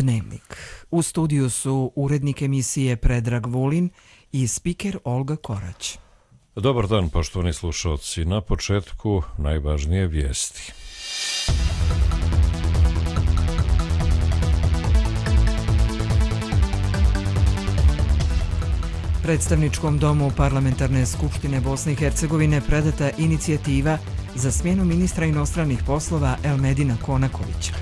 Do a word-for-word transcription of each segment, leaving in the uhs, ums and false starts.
Dnevnik. U studiju su urednik emisije Predrag Vulin i spiker Olga Korać. Dobar dan, poštovani slušalci. Na početku najvažnije vijesti. Predstavničkom domu Parlamentarne skupštine Bosne i Hercegovine predata inicijativa za smjenu ministra inostranih poslova Elmedina Konakovića.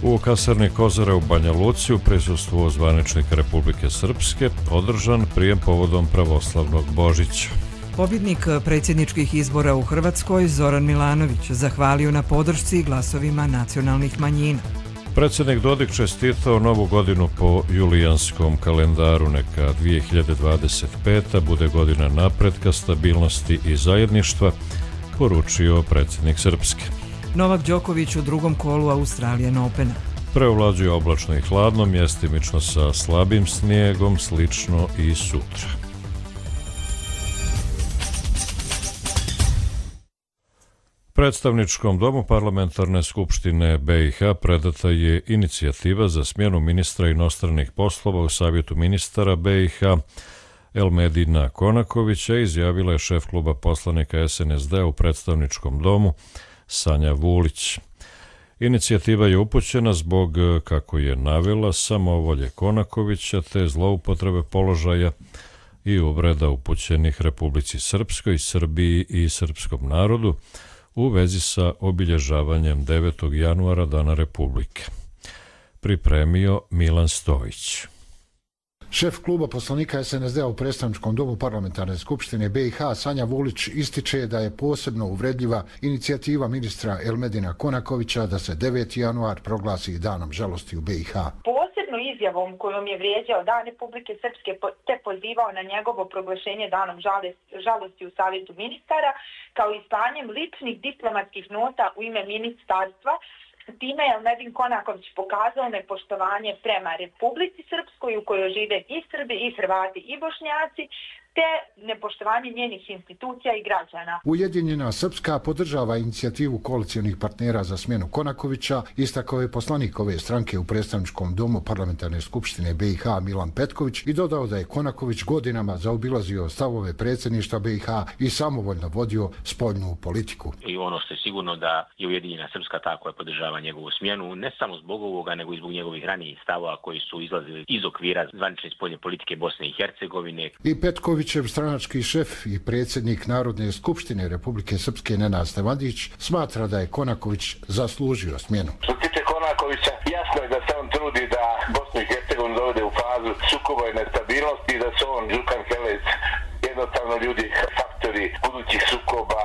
U kasarni Kozare u Banja Luci u prisustvu zvaničnika Republike Srpske održan prijem povodom pravoslavnog Božića. Pobjednik predsjedničkih izbora u Hrvatskoj Zoran Milanović zahvalio na podršci glasovima nacionalnih manjina. Predsjednik Dodik čestitao novu godinu po julijanskom kalendaru. Neka dvije hiljade dvadeset peta bude godina napretka, stabilnosti i zajedništva, poručio predsjednik Srpske. Novak Đoković u drugom kolu Australian Opena. Preovlađuje oblačno i hladno, mjestimično sa slabim snijegom, slično i sutra. Predstavničkom domu Parlamentarne skupštine B i H predata je inicijativa za smjenu ministra inostranih poslova u Savjetu ministara B i H Elmedina Konakovića, izjavila je šef kluba poslanika S N S D u Predstavničkom domu Sanja Vulić. Inicijativa je upućena zbog, kako je navela, samovolje Konakovića te zloupotrebe položaja i uvreda upućenih Republici Srpskoj, Srbiji i srpskom narodu u vezi sa obilježavanjem devetog januara Dana Republike. Pripremio Milan Stojić. Šef kluba poslanika S N S D u Predstavničkom domu Parlamentarne skupštine B i H Sanja Vulić ističe da je posebno uvredljiva inicijativa ministra Elmedina Konakovića da se deveti januar proglasi danom žalosti u B i H. Posebno izjavom kojom je vrijeđao Dan Republike Srpske te pozivao na njegovo proglašenje danom žalosti u Savjetu ministara, kao i slanjem ličnih diplomatskih nota u ime ministarstva. Time je Elmedin Konaković pokazao nepoštovanje prema Republici Srpskoj u kojoj žive i Srbi i Hrvati i Bošnjaci, te nepoštovanje njenih institucija i građana. Ujedinjena Srpska podržava inicijativu koalicijonih partnera za smjenu Konakovića, istakao je poslanik ove stranke u Predstavničkom domu Parlamentarne skupštine B i H Milan Petković i dodao da je Konaković godinama zaobilazio stavove predsjedništva B i H i samovoljno vodio spoljnu politiku. I ono što je sigurno da je Ujedinjena Srpska ta koja podržava njegovu smjenu, ne samo zbog ovoga, nego i zbog njegovih ranijih stavova koji su izlazili iz okvira zvanične spoljne politike Bosne i Hercegovine. I Petković, stranački šef i predsjednik Narodne skupštine Republike Srpske Nenad Stevandić smatra da je Konaković zaslužio smjenu. Što se tiče Konakovića, jasno je da se on trudi da Bosnu i Hercegovinu dovede u fazu sukoba i nestabilnosti i da se on, Đukan Helec, jednostavno ljudi faktori budućih sukoba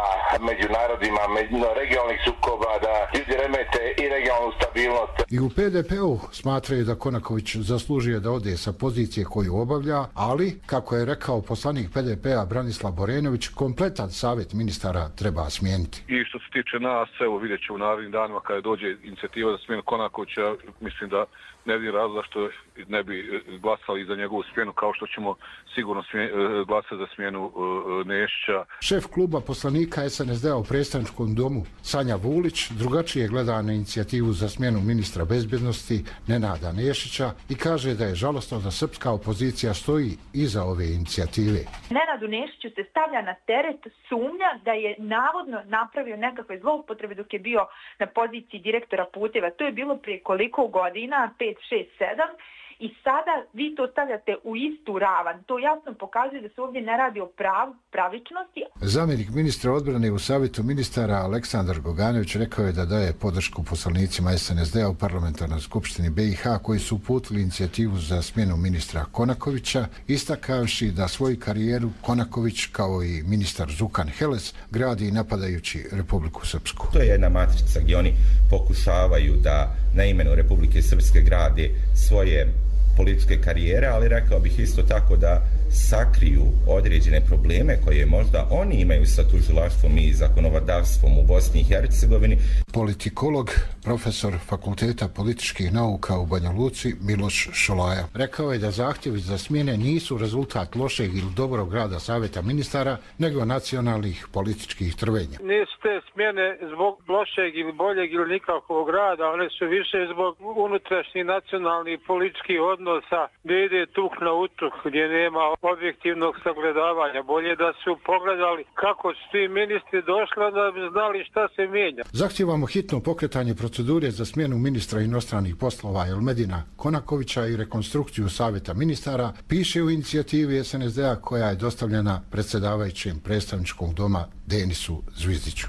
među narodima, među regionalnih sukoba, da ljudi remete i regionalnu stabilnost. I u P D P-u smatraju da Konaković zaslužuje da ode sa pozicije koju obavlja, ali, kako je rekao poslanik P D P-a Branislav Borenović, kompletan savjet ministara treba smijeniti. I što se tiče nas, evo vidjet ću u narednim danima kada dođe inicijativa za smjenu Konakovića, mislim da ne vidim razloga što ne bi glasali za njegovu smjenu, kao što ćemo sigurno smje, glasati za smjenu uh, Nešića. Šef kluba poslanika S N S D-a u Predstavničkom domu Sanja Vulić drugačije gleda na inicijativu za smjenu ministra bezbjednosti Nenada Nešića i kaže da je žalostno da srpska opozicija stoji iza ove inicijative. Nenadu Nešiću se stavlja na teret sumnja da je navodno napravio nekakve zloupotrebe dok je bio na poziciji direktora puteva. To je bilo prije koliko godina, pet, šest, sedam. I sada vi to stavljate u istu ravan. To jasno pokazuje da se ovdje ne radi o prav, pravičnosti. Zamjenik ministra odbrane u Savjetu ministara Aleksandar Goganović rekao je da daje podršku poslanicima S N S D-a u Parlamentarnoj skupštini B i H koji su uputili inicijativu za smjenu ministra Konakovića, istakavši da svoju karijeru Konaković kao i ministar Đukan Helec gradi napadajući Republiku Srpsku. To je jedna matrica gdje oni pokušavaju da na imenu Republike Srpske grade svoje političke karijere, ali rekao bih isto tako da sakriju određene probleme koje možda oni imaju sa tužilaštvom i zakonodavstvom u Bosni i Hercegovini. Politikolog, profesor Fakulteta političkih nauka u Banja Luci Miloš Šolaja rekao je da zahtjevi za smjene nisu rezultat lošeg ili dobrog rada Savjeta ministara, nego nacionalnih političkih trvenja. Nisu te smjene zbog lošeg ili boljeg ili nikakvog rada, one su više zbog unutrašnjih nacionalnih političkih odnosa gdje ide tuk na utuk, gdje nema objektivnog sagledavanja. Bolje da su pogledali kako su ti ministri došli, da bi znali šta se mijenja. Zahtijevamo hitno pokretanje procedure za smjenu ministra inostranih poslova Elmedina Konakovića i rekonstrukciju Savjeta ministara, piše u inicijativi S N S D-a koja je dostavljena predsjedavajućem predstavničkog doma Denisu Zvizdiću.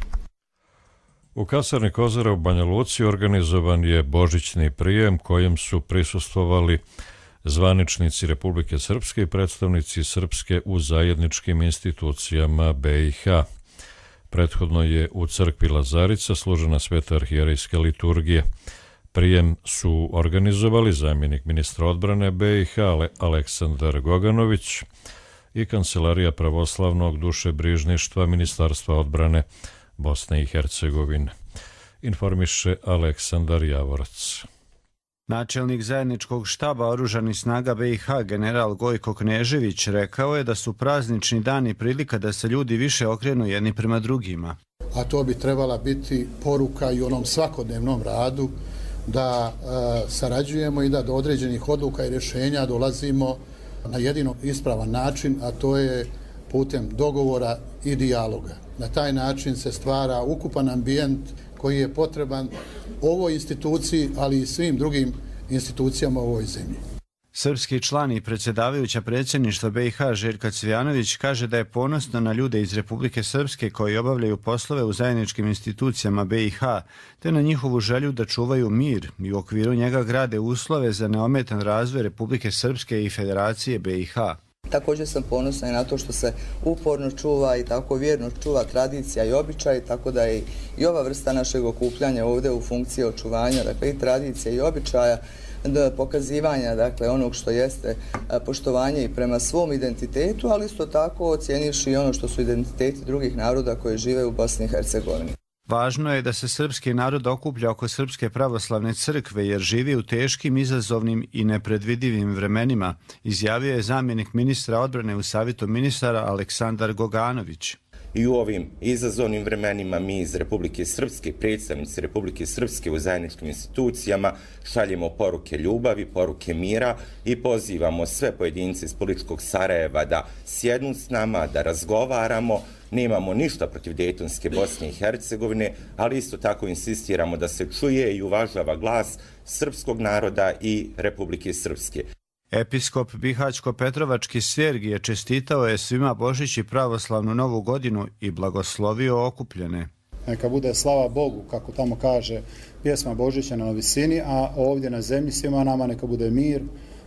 U kasarni Kozara u Banja Luci organizovan je božićni prijem kojem su prisustvovali zvaničnici Republike Srpske i predstavnici Srpske u zajedničkim institucijama B i H. Prethodno je u crkvi Lazarica služena sveta arhijerejska liturgija. Prijem su organizovali zamjenik ministra odbrane B i H Aleksandar Goganović i Kancelarija pravoslavnog dušebrižništva Ministarstva odbrane Bosne i Hercegovine. Informiše Aleksandar Javorac. Načelnik zajedničkog štaba oružanih snaga B i H general Gojko Knežević rekao je da su praznični dani prilika da se ljudi više okrenu jedni prema drugima. A to bi trebala biti poruka i onom svakodnevnom radu da e, sarađujemo i da do određenih odluka i rješenja dolazimo na jedino ispravan način, a to je putem dogovora i dijaloga. Na taj način se stvara ukupan ambijent koji je potreban ovoj instituciji, ali i svim drugim institucijama u ovoj zemlji. Srpski član i predsjedavajuća predsjedništva B i H Željka Cvijanović kaže da je ponosno na ljude iz Republike Srpske koji obavljaju poslove u zajedničkim institucijama B i H, te na njihovu želju da čuvaju mir i u okviru njega grade uslove za neometan razvoj Republike Srpske i Federacije B i H. Također sam ponosna i na to što se uporno čuva i tako vjerno čuva tradicija i običaj, tako da je i ova vrsta našeg okupljanja ovdje u funkciji očuvanja, dakle i tradicije i običaja, pokazivanja dakle onog što jeste poštovanje i prema svom identitetu, ali isto tako ocjenivši i ono što su identiteti drugih naroda koji žive u Bosni i Hercegovini. Važno je da se srpski narod okuplja oko Srpske pravoslavne crkve jer živi u teškim, izazovnim i nepredvidivim vremenima, izjavio je zamjenik ministra odbrane u Savjetu ministara Aleksandar Goganović. I u ovim izazovnim vremenima mi iz Republike Srpske, predstavnici Republike Srpske u zajedničkim institucijama, šaljemo poruke ljubavi, poruke mira i pozivamo sve pojedince iz političkog Sarajeva da sjednu s nama, da razgovaramo. Nemamo ništa protiv Dejtonske Bosne i Hercegovine, ali isto tako insistiramo da se čuje i uvažava glas srpskog naroda i Republike Srpske. Episkop Bihaćko-Petrovački Sergije čestitao je svima Božić i pravoslavnu novu godinu i blagoslovio okupljene. Neka bude slava Bogu, kako tamo kaže pjesma Božića na visini, a ovdje na zemlji svima nama neka bude mir,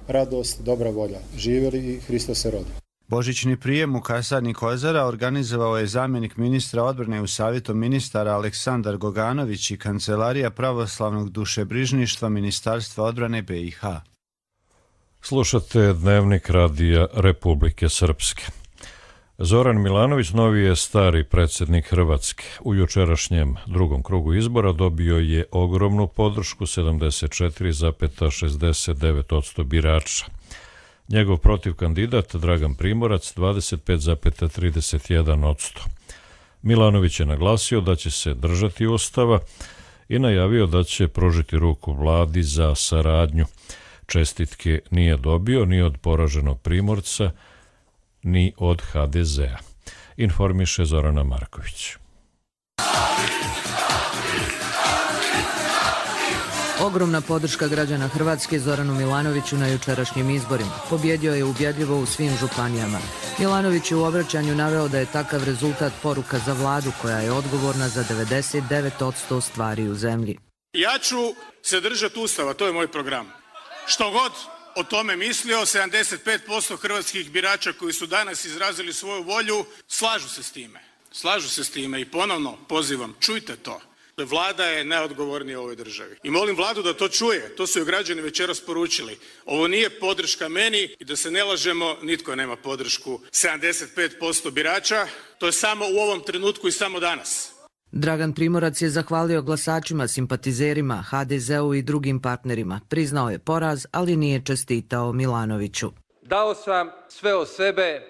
radost, dobra volja. Živjeli i Hristos se rodi. Božićni prijem u kasarni Kozara organizovao je zamjenik ministra odbrane u Savjetu ministara Aleksandar Goganović i Kancelarija pravoslavnog dušebrižništva Ministarstva odbrane B i H. Slušate Dnevnik radija Republike Srpske. Zoran Milanović novi je stari predsjednik Hrvatske. U jučerašnjem drugom krugu izbora dobio je ogromnu podršku sedamdeset četiri zarez šezdeset devet posto birača. Njegov protiv kandidat Dragan Primorac dvadeset pet zarez trideset jedan posto. Milanović je naglasio da će se držati Ustava i najavio da će pružiti ruku vladi za saradnju. Čestitke nije dobio ni od poraženog Primorca, ni od H D Z-a. Informiše Zorana Marković. Ogromna podrška građana Hrvatske Zoranu Milanoviću na jučerašnjim izborima. Pobjedio je ubjedljivo u svim županijama. Milanović je u obraćanju naveo da je takav rezultat poruka za vladu koja je odgovorna za devedeset devet posto stvari u zemlji. Ja ću se držati Ustava, to je moj program. Što god o tome mislio, sedamdeset pet posto hrvatskih birača koji su danas izrazili svoju volju slažu se s time. Slažu se s time i ponovno pozivam, čujte to. Dakle, vlada je najodgovornija u ovoj državi. I molim vladu da to čuje, to su joj građani večeras poručili. Ovo nije podrška meni i da se ne lažemo, nitko nema podršku sedamdeset pet posto birača. To je samo u ovom trenutku i samo danas. Dragan Primorac je zahvalio glasačima, simpatizerima, ha de zeu i drugim partnerima. Priznao je poraz, ali nije čestitao Milanoviću. Dao sam sve od sebe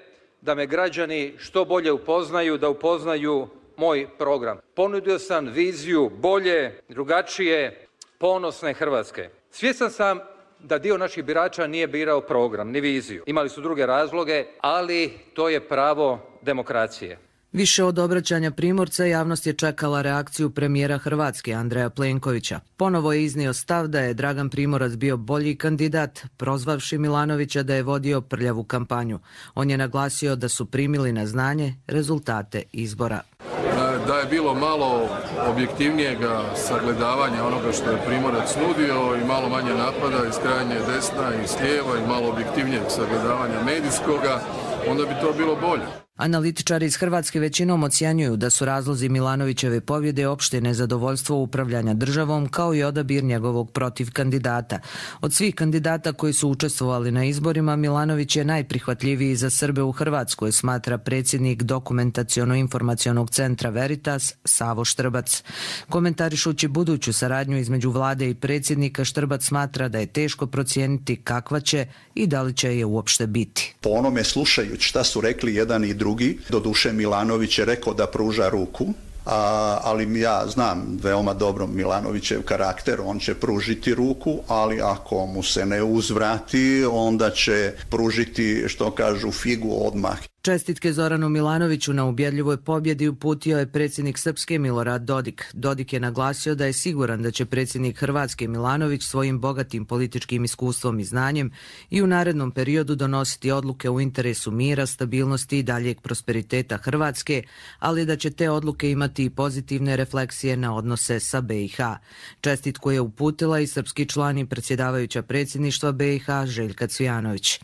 da me građani što bolje upoznaju, da upoznaju moj program. Ponudio sam viziju bolje, drugačije, ponosne Hrvatske. Svjestan sam da dio naših birača nije birao program, ni viziju. Imali su druge razloge, ali to je pravo demokracije. Više od obraćanja Primorca, javnost je čekala reakciju premijera Hrvatske Andreja Plenkovića. Ponovo je iznio stav da je Dragan Primorac bio bolji kandidat, prozvavši Milanovića da je vodio prljavu kampanju. On je naglasio da su primili na znanje rezultate izbora. Da je bilo malo objektivnijega sagledavanja onoga što je Primorac nudio i malo manje napada iz krajnje desna i s lijeva i malo objektivnijeg sagledavanja medijskoga, onda bi to bilo bolje. Analitičari iz Hrvatske većinom ocjenjuju da su razlozi Milanovićeve pobjede opšte nezadovoljstvo upravljanja državom kao i odabir njegovog protiv kandidata. Od svih kandidata koji su učestvovali na izborima, Milanović je najprihvatljiviji za Srbe u Hrvatskoj, smatra predsjednik Dokumentaciono-informacionog centra Veritas Savo Štrbac. Komentarišući buduću saradnju između vlade i predsjednika, Štrbac smatra da je teško procijeniti kakva će i da li će je uopšte biti. Po onome slušajući šta su rekli jedan i drugi, doduše Milanović je rekao da pruža ruku, a, ali ja znam veoma dobro Milanovićev karakter, on će pružiti ruku, ali ako mu se ne uzvrati, onda će pružiti, što kažu, figu odmah. Čestitke Zoranu Milanoviću na ubjedljivoj pobjedi uputio je predsjednik Srpske Milorad Dodik. Dodik je naglasio da je siguran da će predsjednik Hrvatske Milanović svojim bogatim političkim iskustvom i znanjem i u narednom periodu donositi odluke u interesu mira, stabilnosti i daljeg prosperiteta Hrvatske, ali da će te odluke imati i pozitivne refleksije na odnose sa be i ha. Čestitku je uputila i srpski član i predsjedavajuća predsjedništva be i ha Željka Cvijanović.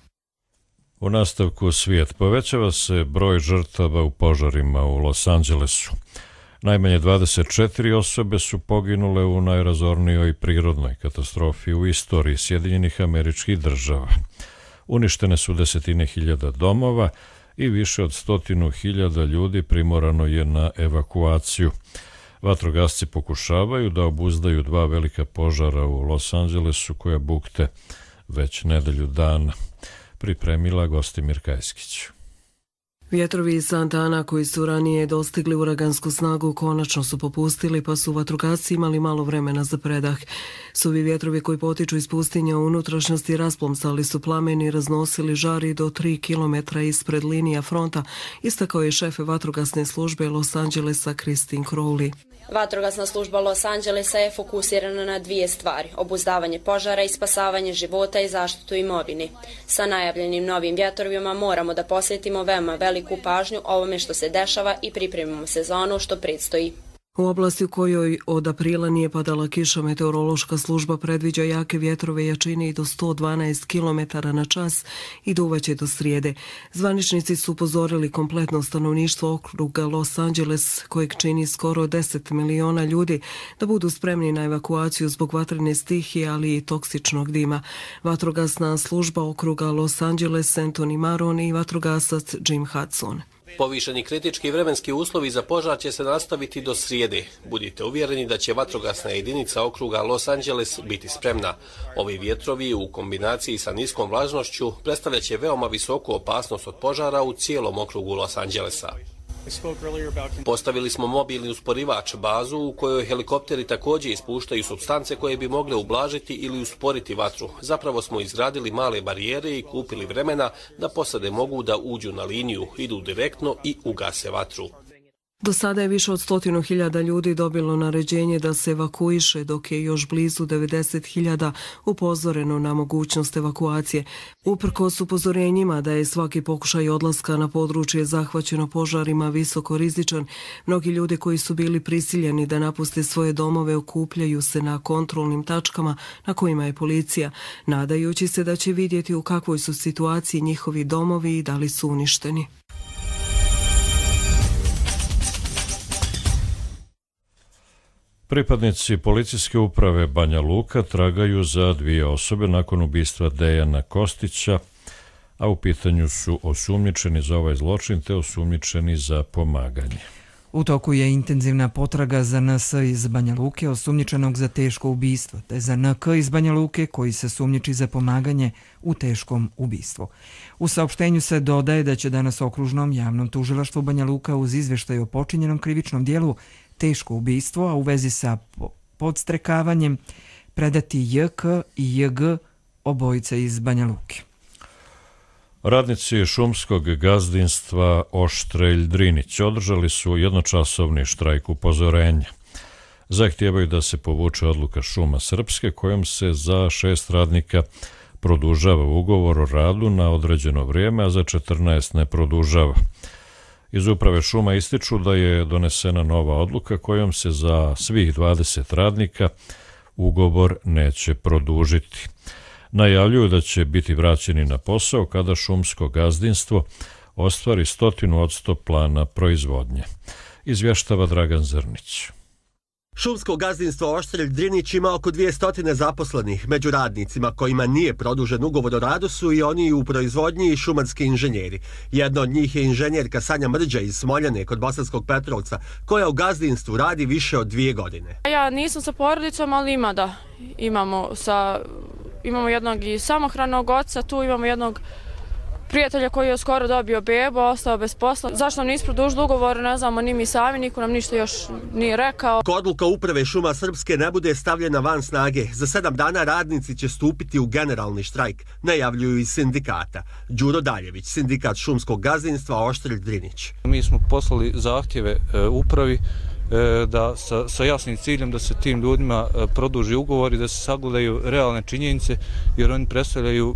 U nastavku svijet. Povećava se broj žrtava u požarima u Los Angelesu. Najmanje dvadeset četiri osobe su poginule u najrazornijoj prirodnoj katastrofi u istoriji Sjedinjenih Američkih Država. Uništene su desetine hiljada domova i više od stotinu hiljada ljudi primorano je na evakuaciju. Vatrogasci pokušavaju da obuzdaju dva velika požara u Los Angelesu koja bukte već nedelju dana. Pripremila Gostimir Kajskić. Vjetrovi iz Santa Ana koji su ranije dostigli uragansku snagu konačno su popustili, pa su vatrogasci imali malo vremena za predah. Suvi vjetrovi koji potiču iz pustinja u unutrašnjosti rasplomsali su plamen i raznosili žari do tri kilometra ispred linija fronta, istakao je šef vatrogasne službe Los Angelesa Christine Crowley. Vatrogasna služba Los Angelesa je fokusirana na dvije stvari, obuzdavanje požara i spasavanje života i zaštitu imovine. Sa najavljenim novim vjetrovima moramo da posvetimo veoma veliku pažnju ovome što se dešava i pripremimo se za ono što predstoji. U oblasti u kojoj od aprila nije padala kiša, meteorološka služba predviđa jake vjetrove jačine i do sto dvanaest kilometara na čas i duvaće do srijede. Zvaničnici su upozorili kompletno stanovništvo okruga Los Angeles, kojeg čini skoro deset miliona ljudi, da budu spremni na evakuaciju zbog vatrene stihije, ali i toksičnog dima. Vatrogasna služba okruga Los Angeles Anthony Maron i vatrogasac Jim Hudson. Povišeni kritički vremenski uslovi za požar će se nastaviti do srijede. Budite uvjereni da će vatrogasna jedinica okruga Los Angeles biti spremna. Ovi vjetrovi u kombinaciji sa niskom vlažnošću predstavljaće veoma visoku opasnost od požara u cijelom okrugu Los Angelesa. Postavili smo mobilni usporivač bazu u kojoj helikopteri također ispuštaju supstance koje bi mogle ublažiti ili usporiti vatru. Zapravo smo izgradili male barijere i kupili vremena da posade mogu da uđu na liniju, idu direktno i ugase vatru. Do sada je više od stotinu hiljada ljudi dobilo naređenje da se evakuiše, dok je još blizu devedeset hiljada upozoreno na mogućnost evakuacije. Uprkos upozorenjima da je svaki pokušaj odlaska na područje zahvaćeno požarima visoko rizičan, mnogi ljudi koji su bili prisiljeni da napuste svoje domove okupljaju se na kontrolnim tačkama na kojima je policija, nadajući se da će vidjeti u kakvoj su situaciji njihovi domovi i da li su uništeni. Pripadnici policijske uprave Banja Luka tragaju za dvije osobe nakon ubistva Dejana Kostića, a u pitanju su osumnjičeni za ovaj zločin te osumnjičeni za pomaganje. U toku je intenzivna potraga za N S iz Banja Luke, osumnjičenog za teško ubistvo, te za N K iz Banja Luke, koji se sumnjiči za pomaganje u teškom ubistvu. U saopštenju se dodaje da će danas okružnom javnom tužilaštvu Banja Luka uz izveštaj o počinjenom krivičnom dijelu teško ubistvo, a u vezi sa podstrekavanjem predati J K i J G, obojice iz Banja Luke. Radnici šumskog gazdinstva Oštrelj Drinić održali su jednočasovni štrajk upozorenja. Zahtijevaju da se povuče odluka Šuma Srpske kojom se za šest radnika produžava ugovor o radu na određeno vrijeme, a za četrnaest ne produžava. Iz uprave šuma ističu da je donesena nova odluka kojom se za svih dvadeset radnika ugovor neće produžiti. Najavljuju da će biti vraćeni na posao kada šumsko gazdinstvo ostvari stotinu odsto plana proizvodnje. Izvještava Dragan Zrnić. Šumsko gazdinstvo Oštrelj Drinić ima oko dvjesto zaposlenih. Među radnicima kojima nije produžen ugovor o radu su i oni u proizvodnji i šumarski inženjeri. Jedna od njih je inženjerka Sanja Mrđa iz Smoljane kod Bosanskog Petrovca, koja u gazdinstvu radi više od dvije godine. Ja nisam sa porodicom, ali ima da. Imamo, sa, imamo jednog i samohranog oca, tu imamo jednog prijatelja koji je skoro dobio bebu, ostao bez posla. Zašto nam nisu produžili ugovor, ne znamo ni mi sami, niko nam ništa još nije rekao. Ako odluka uprave Šuma Srpske ne bude stavljena van snage, za sedam dana radnici će stupiti u generalni štrajk, najavljuju iz sindikata. Đuro Daljević, sindikat šumskog gazdinstva Oštrelj Drinić. Mi smo poslali zahtjeve e, upravi e, da sa, sa jasnim ciljem da se tim ljudima e, produži ugovor i da se sagledaju realne činjenice, jer oni predstavljaju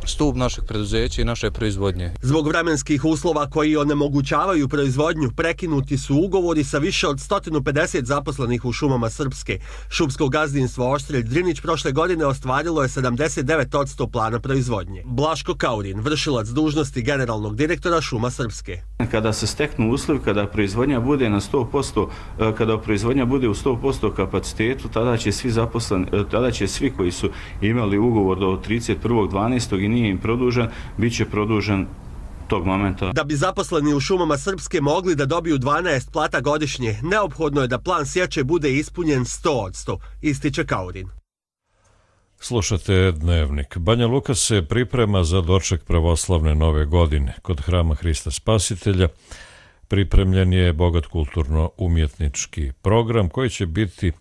stup našeg preduzeća i naše proizvodnje. Zbog vremenskih uslova koji onemogućavaju proizvodnju, prekinuti su ugovori sa više od sto pedeset zaposlenih u Šumama Srpske. Šumsko gazdinstvo Oštrelj Drinić prošle godine ostvarilo je sedamdeset devet odsto plana proizvodnje. Blaško Kaurin, vršilac dužnosti generalnog direktora Šuma Srpske. Kada se steknu uslovi, kada proizvodnja bude na sto posto, kada proizvodnja bude u sto posto kapacitetu, tada će svi zaposleni, tada će svi koji su imali ugovor do trideset prvog dvanaestog i nije im produžen, bit će produžen tog momenta. Da bi zaposleni u Šumama Srpske mogli da dobiju dvanaest plata godišnje, neophodno je da plan sječe bude ispunjen sto odsto, ističe Kaurin. Slušate Dnevnik. Banja Luka se priprema za doček pravoslavne nove godine. Kod Hrama Hrista Spasitelja pripremljen je bogat kulturno-umjetnički program koji će biti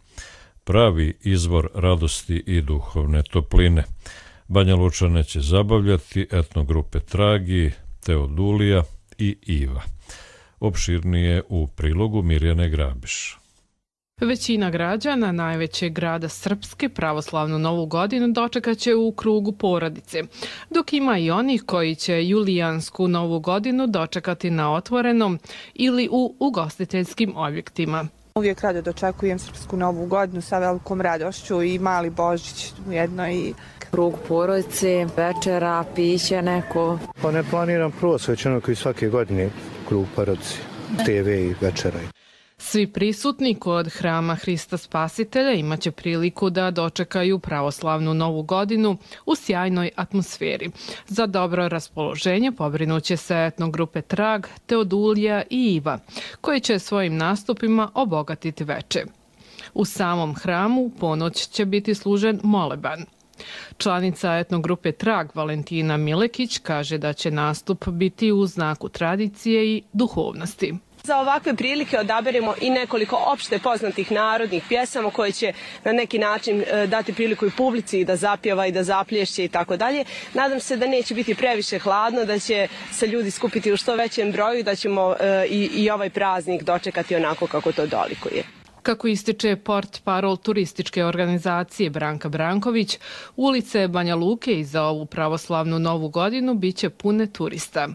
pravi izvor radosti i duhovne topline. Banja Lučane će zabavljati etnogrupe Tragi, Teodulija i Iva. Opširnije u prilogu Mirjane Grabiš. Većina građana najvećeg grada Srpske pravoslavnu novu godinu dočekat će u krugu porodice, dok ima i onih koji će julijansku novu godinu dočekati na otvorenom ili u ugostiteljskim objektima. Uvijek rado dočekujem Srpsku novu godinu sa velikom radošću i mali Božić ujedno i krug porodice, večera, piće neko. Pa ne planiram prvo svećano koji svake godine krug porodice, te ve i večera. Svi prisutni kod Hrama Hrista Spasitelja imaće priliku da dočekaju pravoslavnu novu godinu u sjajnoj atmosferi. Za dobro raspoloženje pobrinuće se etnogrupe Trag, Teodulija i Iva, koji će svojim nastupima obogatiti veče. U samom hramu ponoć će biti služen moleban. Članica etnogrupe Trag Valentina Milekić kaže da će nastup biti u znaku tradicije i duhovnosti. Za ovakve prilike odaberemo i nekoliko opšte poznatih narodnih pjesama koje će na neki način dati priliku i publici da zapjeva i da zaplješće i tako dalje. Nadam se da neće biti previše hladno, da će se ljudi skupiti u što većem broju, da ćemo i, i ovaj praznik dočekati onako kako to dolikuje. Kako ističe port parol turističke organizacije Branka Branković, ulice Banja Luke i za ovu pravoslavnu novu godinu biće pune turista.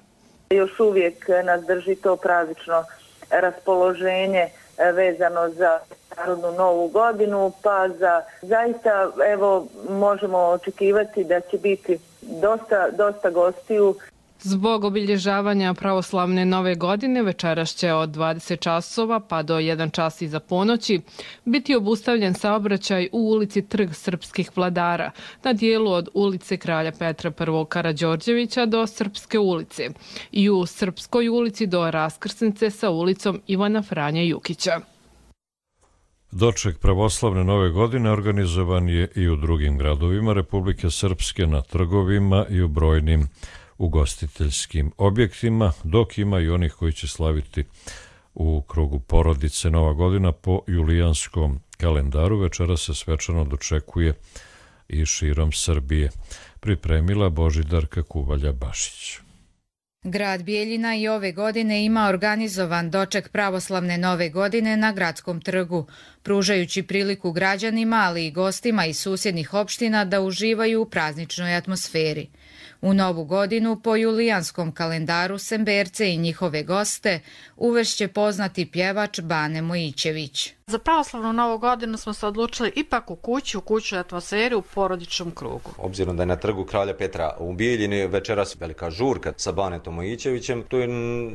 Još uvijek nas drži to praznično raspoloženje vezano za narodnu novu godinu, pa za zaista evo možemo očekivati da će biti dosta, dosta gostiju. Zbog obilježavanja pravoslavne nove godine večeras će od dvadeset časova pa do jedan čas iza ponoći biti obustavljen saobraćaj u ulici Trg srpskih vladara na dijelu od ulice Kralja Petra I. Karađorđevića do Srpske ulice i u Srpskoj ulici do raskrsnice sa ulicom Ivana Franje Jukića. Doček pravoslavne nove godine organizovan je i u drugim gradovima Republike Srpske, na trgovima i u brojnim ugostiteljskim objektima, dok ima i onih koji će slaviti u krugu porodice. Nova godina po julijanskom kalendaru večera se svečano dočekuje i širom Srbije. Pripremila Božidarka Kuvalja-Bašić. Grad Bijeljina i ove godine ima organizovan doček pravoslavne nove godine na Gradskom trgu, pružajući priliku građanima, ali i gostima iz susjednih opština da uživaju u prazničnoj atmosferi. U novu godinu po julijanskom kalendaru Semberce i njihove goste uvešće poznati pjevač Bane Mojićević. Za pravoslavnu novu godinu smo se odlučili ipak u kući, u kućnoj atmosferi, u porodičnom krugu. Obzirom da je na trgu Kralja Petra u Bijeljini večeras velika žurka sa Banetom Mojićevićem, to je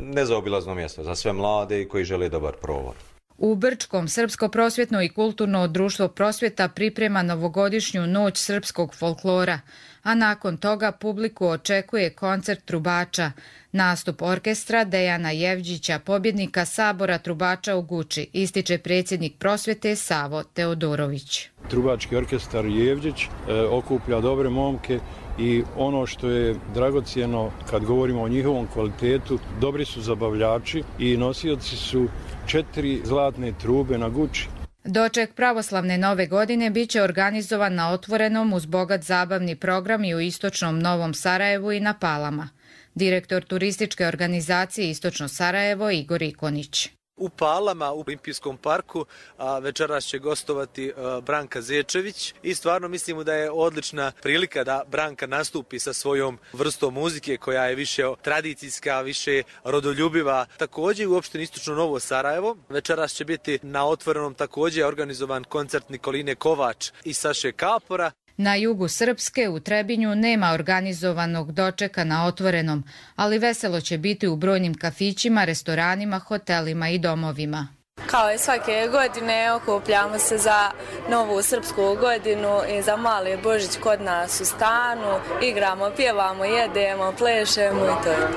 nezaobilazno mjesto za sve mlade i koji žele dobar provod. U Brčkom Srpsko prosvjetno i kulturno društvo Prosvjeta priprema novogodišnju noć srpskog folklora, a nakon toga publiku očekuje koncert trubača, nastup orkestra Dejana Jevđića, pobjednika Sabora trubača u Guči, ističe predsjednik Prosvjete Savo Teodorović. Trubački orkestar Jevđić e, okuplja dobre momke i ono što je dragocjeno kad govorimo o njihovom kvalitetu, dobri su zabavljači i nosioci su četiri zlatne trube na Guči. Doček pravoslavne nove godine biće organizovan na otvorenom uz bogat zabavni program i u istočnom Novom Sarajevu i na Palama. Direktor turističke organizacije Istočno Sarajevo Igor Ikonić. U Palama, u Olimpijskom parku, a večeras će gostovati a, Branka Zečević i stvarno mislimo da je odlična prilika da Branka nastupi sa svojom vrstom muzike koja je više tradicijska, više rodoljubiva. Također u opštini Istočno Novo Sarajevo večeras će biti na otvorenom također organizovan koncert Nikoline Kovač i Saše Kapora. Na jugu Srpske u Trebinju nema organizovanog dočeka na otvorenom, ali veselo će biti u brojnim kafićima, restoranima, hotelima i domovima. Kao i svake godine okupljamo se za novu srpsku godinu i za mali Božić kod nas u stanu. Igramo, pjevamo, jedemo, plešemo i to je.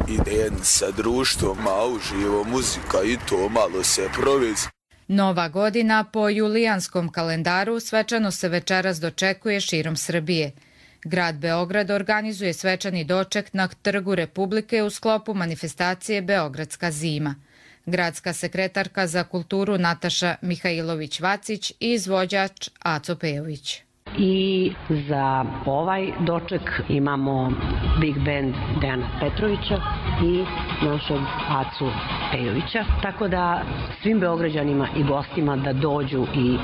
Idem sa društvom, a uživo muzika i to malo se provezi. Nova godina po julijanskom kalendaru svečano se večeras dočekuje širom Srbije. Grad Beograd organizuje svečani doček na Trgu Republike u sklopu manifestacije Beogradska zima. Gradska sekretarka za kulturu Nataša Mihajlović-Vacić i izvođač Aco Pejović. I za ovaj doček imamo Big Band Dejana Petrovića i našeg Acu Pejovića, tako da svim Beograđanima i gostima da dođu i e,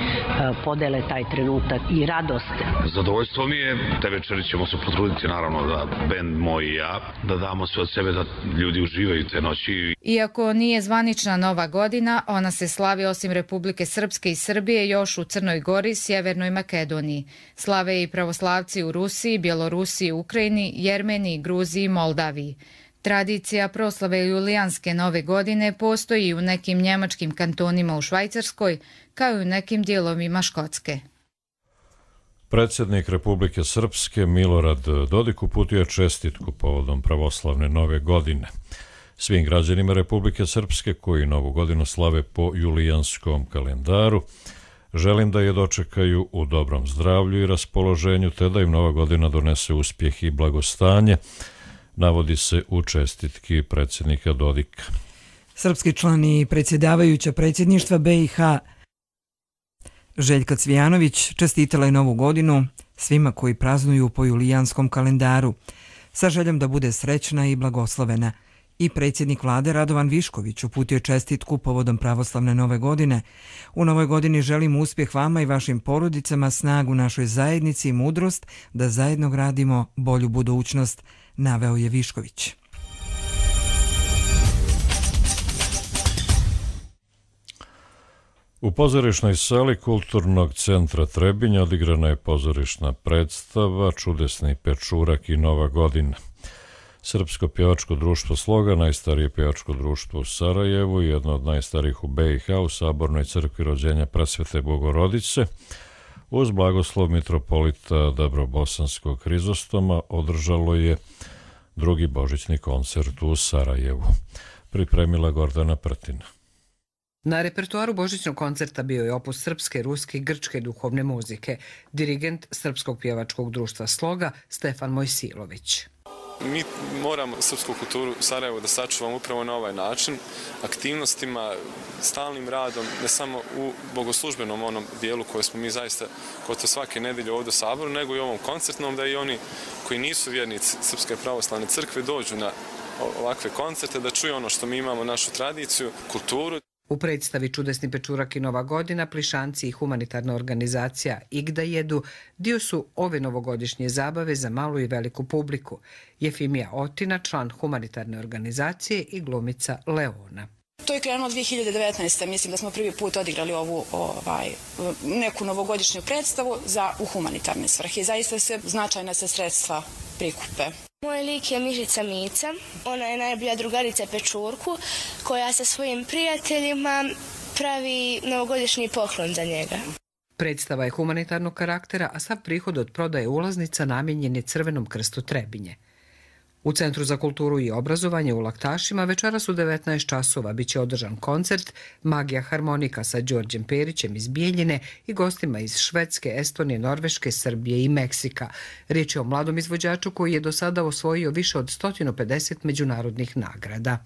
podele taj trenutak i radost. Zadovoljstvo mi je, te večeri ćemo se potruditi naravno da bend moj i ja, da damo sve od sebe da ljudi uživaju te noći. Iako nije zvanična Nova godina, ona se slavi osim Republike Srpske i Srbije još u Crnoj Gori, Sjevernoj Makedoniji. Slave i pravoslavci u Rusiji, Bjelorusiji, Ukrajini, Jermeniji, Gruziji i Moldaviji. Tradicija proslave julijanske nove godine postoji i u nekim njemačkim kantonima u Švajcarskoj, kao i u nekim dijelovima Škotske. Predsjednik Republike Srpske Milorad Dodik uputio je čestitku povodom pravoslavne nove godine. Svim građanima Republike Srpske koji novu godinu slave po julijanskom kalendaru, želim da je dočekaju u dobrom zdravlju i raspoloženju, te da im nova godina donese uspjeh i blagostanje, navodi se u čestitki predsjednika Dodika. Srpski član i predsjedavajuća predsjedništva B i H Željka Cvijanović čestitala je novu godinu svima koji praznuju po julijanskom kalendaru, sa željom da bude srećna i blagoslovena. I predsjednik vlade Radovan Višković uputio čestitku povodom pravoslavne nove godine. U novoj godini želim uspjeh vama i vašim porodicama, snagu našoj zajednici i mudrost da zajedno gradimo bolju budućnost, naveo je Višković. U pozorišnoj sali Kulturnog centra Trebinja odigrana je pozorišna predstava Čudesni pečurak i Nova godina. Srpsko pjevačko društvo Sloga, najstarije pjevačko društvo u Sarajevu i jedno od najstarijih u B i H u Sabornoj crkvi rođenja Presvete Bogorodice, uz blagoslov mitropolita Dabrobosanskog Hrizostoma održalo je drugi božićni koncert u Sarajevu. Pripremila Gordana Prtina. Na repertoaru božićnog koncerta bio je opus srpske, ruske i grčke duhovne muzike, dirigent Srpskog pjevačkog društva Sloga Stefan Mojsilović. Mi moramo srpsku kulturu u Sarajevu da sačuvamo upravo na ovaj način, aktivnostima, stalnim radom, ne samo u bogoslužbenom onom dijelu koje smo mi zaista gotovo svake nedelje ovdje u Saboru, nego i ovom koncertnom, da i oni koji nisu vjernici Srpske pravoslavne crkve dođu na ovakve koncerte, da čuju ono što mi imamo, našu tradiciju, kulturu. U predstavi Čudesni pečurak i Nova godina, plišanci i humanitarna organizacija Igda jedu dio su ove novogodišnje zabave za malu i veliku publiku. Jefimija Otina, član humanitarne organizacije i glumica Leona. To je krenulo dvije hiljade devetnaeste. Mislim da smo prvi put odigrali ovu ovaj, neku novogodišnju predstavu za u humanitarne svrhe. Zaista se značajna se sredstva prikupe. Moj lik je Mišica Mica. Ona je najbolja drugarica Pečurku koja sa svojim prijateljima pravi novogodišnji poklon za njega. Predstava je humanitarnog karaktera, a sav prihod od prodaje ulaznica namijenjen je Crvenom krstu Trebinje. U Centru za kulturu i obrazovanje u Laktašima večeras u devetnaest časova biće održan koncert Magija harmonika sa Đorđem Perićem iz Bijeljine i gostima iz Švedske, Estonije, Norveške, Srbije i Meksika. Riječ je o mladom izvođaču koji je do sada osvojio više od sto pedeset međunarodnih nagrada.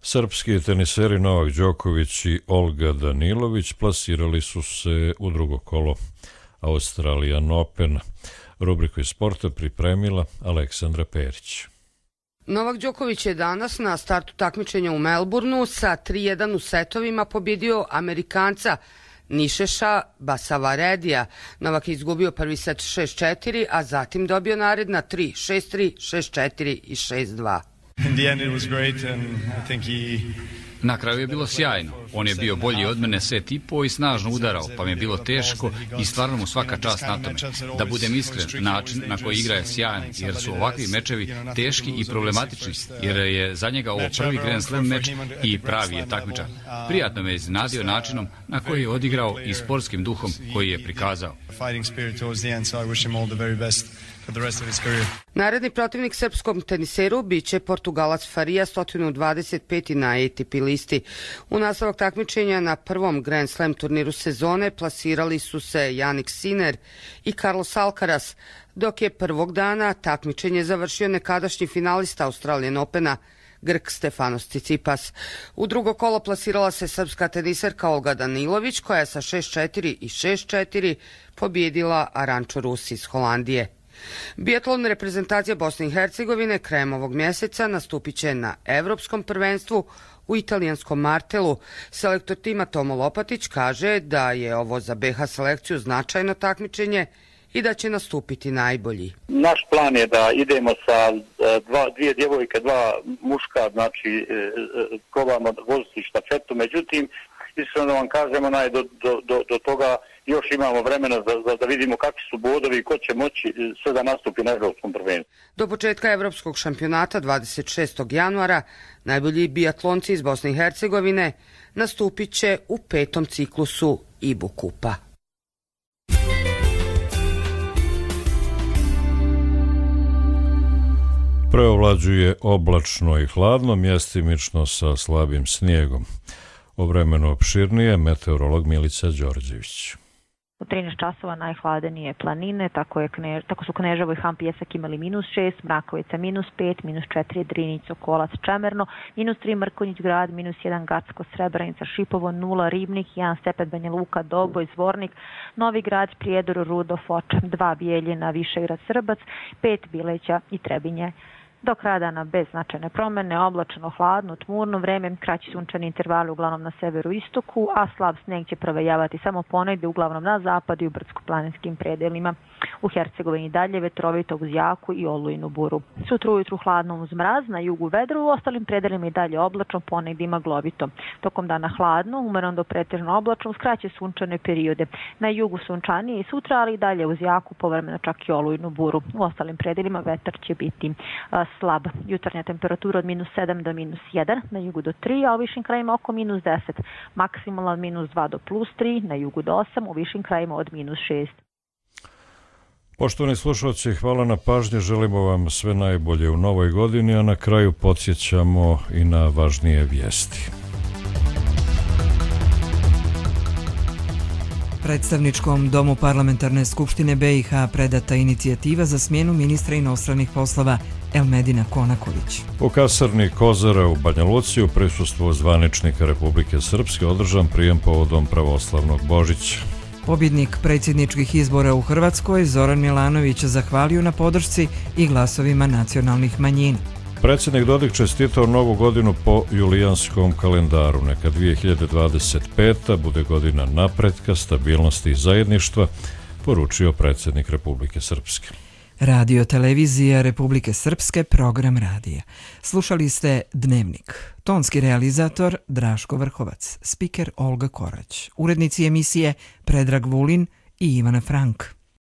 Srpski teniseri Novak Đoković i Olga Danilović plasirali su se u drugo kolo Australian Open. Rubriku iz sporta pripremila Aleksandra Perić. Novak Đoković je danas na startu takmičenja u Melbourneu sa tri jedan u setovima pobjedio Amerikanca Nišeša Basavaredija. Novak je izgubio prvi set šest četiri, a zatim dobio naredna tri šest tri, šest četiri i šest dva. Na kraju je bilo sjajno. On je bio bolji od mene set i po i snažno udarao, pa mi je bilo teško i stvarno mu svaka čast na tome. Da budem iskren, način na koji igra je sjajan, jer su ovakvi mečevi teški i problematični, jer je za njega ovo prvi Grand Slam meč i pravi je takmičar. Prijatno me je iznenadio načinom na koji je odigrao i sportskim duhom koji je prikazao. Naredni protivnik srpskom teniseru biće Portugalac Faria, sto dvadeset peti na A T P listi. U nastavak takmičenja na prvom Grand Slam turniru sezone plasirali su se Jannik Sinner i Carlos Alcaraz, dok je prvog dana takmičenje završio nekadašnji finalista Australian Opena Grk Stefanos Tsitsipas. U drugo kolo plasirala se srpska teniserka Olga Danilović, koja je sa šest četiri i šest četiri pobjedila Aranču Rus iz Holandije. Biatlon reprezentacija Bosne i Hercegovine krajem ovog mjeseca nastupit će na Evropskom prvenstvu u italijanskom Martelu. Selektor tima Tomo Lopatić kaže da je ovo za B H selekciju značajno takmičenje i da će nastupiti najbolji. Naš plan je da idemo sa dva, dvije djevojke, dva muška, znači probamo voziti štafetu, međutim, iskreno vam kažemo, naj, do, do, do, do toga još imamo vremena za, za, da vidimo kakvi su bodovi i ko će moći sve da nastupi na evropskom prvenstvu. Do početka evropskog šampionata dvadeset šestog januara najbolji biatlonci iz Bosne i Hercegovine nastupit će u petom ciklusu Ibu Kupa. Preovlađuje oblačno i hladno, mjestimično sa slabim snijegom. O vremenu opširnije meteorolog Milica Đorđević. U trinaest časova najhladenije planine, tako, je Knež, tako su Kneževo i Han Pjesak imali minus šest, Mrakovica minus pet, minus četiri Drinić, Sokolac, Čemerno, minus tri Mrkonjić grad, minus jedan Gacko, Srebrenica, Šipovo, nula Ribnik, jedan Stepet, Banja Luka, Doboj, Zvornik, Novi grad, Prijedor, Rudo, Foč, dva Bijeljina, Višegrad, Srbac, pet Bileća i Trebinje. Do kraja dana bez značajne promene, oblačno, hladno, tmurno vreme, kraći sunčani intervali uglavnom na severu istoku, a slab sneg će provejavati samo ponegde uglavnom na zapadu i u brdsko-planinskim predelima. U Hercegovini dalje vetrovito uz jaku i olujnu buru. Sutra ujutru hladno uz mraz, na jugu vedro, u ostalim predelima i dalje oblačno, ponegde ima glovito. Tokom dana hladno, umereno do pretežno oblačno, uz kraće sunčane periode. Na jugu sunčanije i sutra, ali i dalje uz jaku, povremeno čak i olujnu buru. U ostalim predelima vetar će biti a, slab. Jutarnja temperatura od minus sedam do minus jedan, na jugu do tri, a u višim krajima oko minus deset. Maksimalna od minus dva do plus tri, na jugu do osam, u višim krajima od minus šest. Poštovani slušalci, hvala na pažnji, želimo vam sve najbolje u novoj godini, a na kraju podsjećamo i na važnije vijesti. Predstavničkom domu Parlamentarne skupštine B i H predata inicijativa za smjenu ministra inostranih poslova Elmedina Konaković. U kasarni Kozara u Banja Luci u prisustvu zvaničnika Republike Srpske održan prijem povodom pravoslavnog Božića. Pobjednik predsjedničkih izbora u Hrvatskoj Zoran Milanović zahvalio na podršci i glasovima nacionalnih manjina. Predsjednik Dodik čestitao novu godinu po julijanskom kalendaru. Neka dvije hiljade dvadeset peta bude godina napretka, stabilnosti i zajedništva, poručio predsjednik Republike Srpske. Radio televizija Republike Srpske, program radija. Slušali ste Dnevnik. Tonski realizator Draško Vrhovac, spiker Olga Korać, urednici emisije Predrag Vulin i Ivana Frank.